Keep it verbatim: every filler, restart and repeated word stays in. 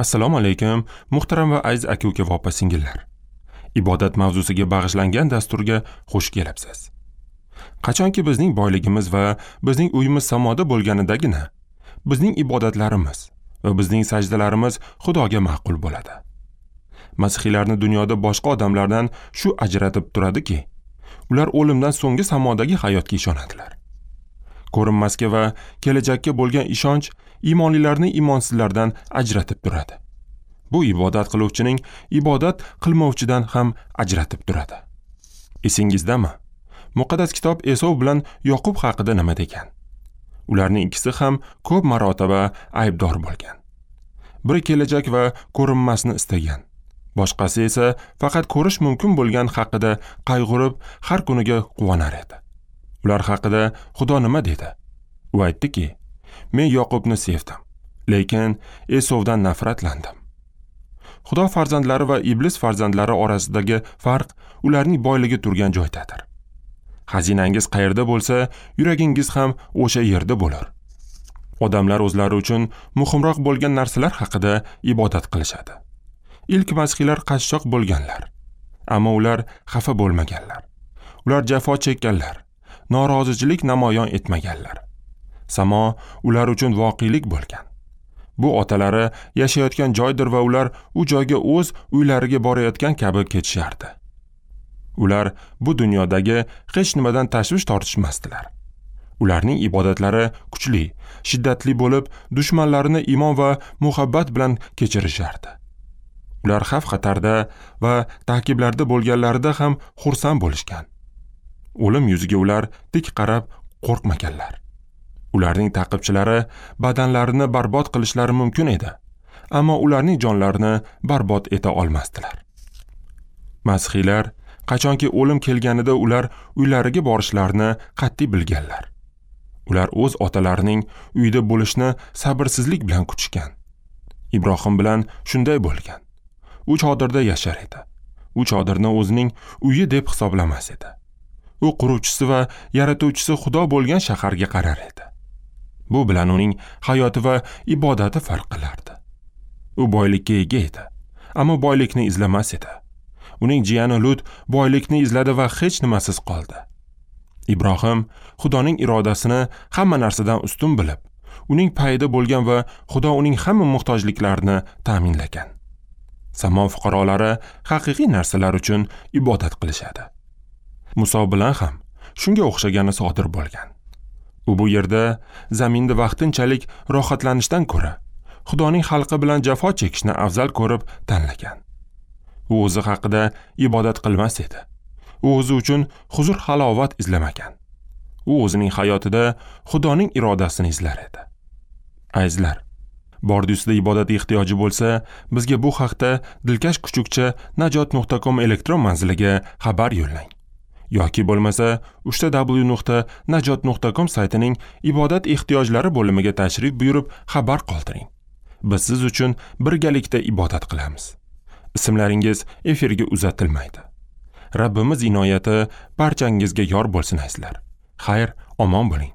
Assalomu alaykum, muhtaram va aziz aka-uka va opa-singillar. Ibodat mavzusiga bag'ishlangan dasturga xush kelibsiz. Qachonki bizning boyligimiz va bizning uyimiz samoda bo'lganidagina bizning ibodatlarimiz va bizning sajdalarimiz Xudoga ma'qul bo'ladi. Masihiylarni dunyoda boshqa odamlardan shu ajratib turadiki, ular o'limdan so'nggi samodagi hayotga ishonadilar. Ko'rinmasga va kelajakka bo'lgan ishonch iymonlilarni iymonsizlardan ajratib turadi. Bu ibodat qiluvchining ibodat qilmovchidan ham ajratib turadi. Esingizdami? Muqaddas kitob Esov bilan Yoqub haqida nima degan? Ularning ikkisi ham ko'p marotaba aybdor bo'lgan. Biri kelajak va ko'rinmasni istagan. Boshqasi esa faqat ko'rish mumkin bo'lgan haqida qayg'urib, har kuniga quvonar edi. Ular haqida Xudo nima dedi? U aytdiki, men Yoqubni sevdim, lekin Esovdan nafratlandim. Xudo farzandlari va iblis farzandlari orasidagi farq ularning boyligi turgan joydadir. Xazinangiz qayerda bo'lsa, yuragingiz ham o'sha yerda bo'lar. Odamlar o'zlari uchun muhimroq bo'lgan narsalar haqida ibodat qilishadi. Ilk masihiylar qashshoq bo'lganlar, ammo ular xafa bo'lmaganlar. Ular jafo chekkanlar, norozichilik namoyon etmaganlar. Samo ular uchun voqelik bo'lgan. Bu otalari yashayotgan joydir va ular u joyga o'z uylariga borayotgan kabi ketishardi. Ular bu dunyodagi hech nimadan tashvish tortishmasdilar. Ularning ibodatlari kuchli, shiddatli bo'lib, dushmanlarini iymon va muhabbat bilan kechirishardi. Ular xavf-xatarda va ta'qiblarda bo'lganlarida ham xursand bo'lishgan. O'lim yuziga ular tik qarab qo'rqmaganlar. Ularning ta'qibchilari badanlarini barbod qilishlari mumkin edi, ammo ularning jonlarini barbod eta olmasdilar. Masihiylar qachonki o'lim kelganida ular uylariga borishlarini qat'iy bilganlar. Ular o'z otalarining uyida bo'lishni sabrsizlik bilan kutishgan. Ibrohim bilan shunday bo'lgan. U chodirda yashar edi. U chodirni o'zining uyi deb hisoblamas edi. U quruvchisi va yaratuvchisi Xudo bo'lgan shaharga qarar edi. Bu bilan uning hayoti va ibodati farq qilardi. U boylikka ega edi, ammo boylikni izlamas edi. Uning jiyani Lut boylikni izladi va hech nimasiz qoldi. Ibrohim Xudoning irodasini hamma narsadan ustun bilib, uning payida bo'lgan va Xudo uning hamma muhtojliklarini ta'minlagan. Samo fuqarolari haqiqiy narsalar uchun ibodat qilishadi. Muso bilan ham shunga o'xshagani sodir bo'lgan. U bu yerda zaminda vaqtinchalik rohatlanishdan ko'ra Xudoning xalqi bilan jafo chekishni afzal ko'rib tanlagan. U o'zi haqida ibodat qilmas edi. U o'zi uchun huzur halovat izlamagan. U o'zining hayotida Xudoning irodasini izlar edi. Azizlar, bordi ustida ibodat ehtiyoji bo'lsa, bizga bu haqda dilkash kuchukcha najot nuqta com elektron manziliga xabar yo'llang. Yoki bo'lmasa uch w nuqta najot nuqta com saytining ibodat ehtiyojlari bo'limiga tashrif buyurib xabar qoldiring. Biz siz uchun birgalikda ibodat qilamiz. Ismlaringiz efirga uzatilmaydi. Rabbimiz inoyati barchangizga yor bo'lsin azizlar. Xayr, omon bo'ling.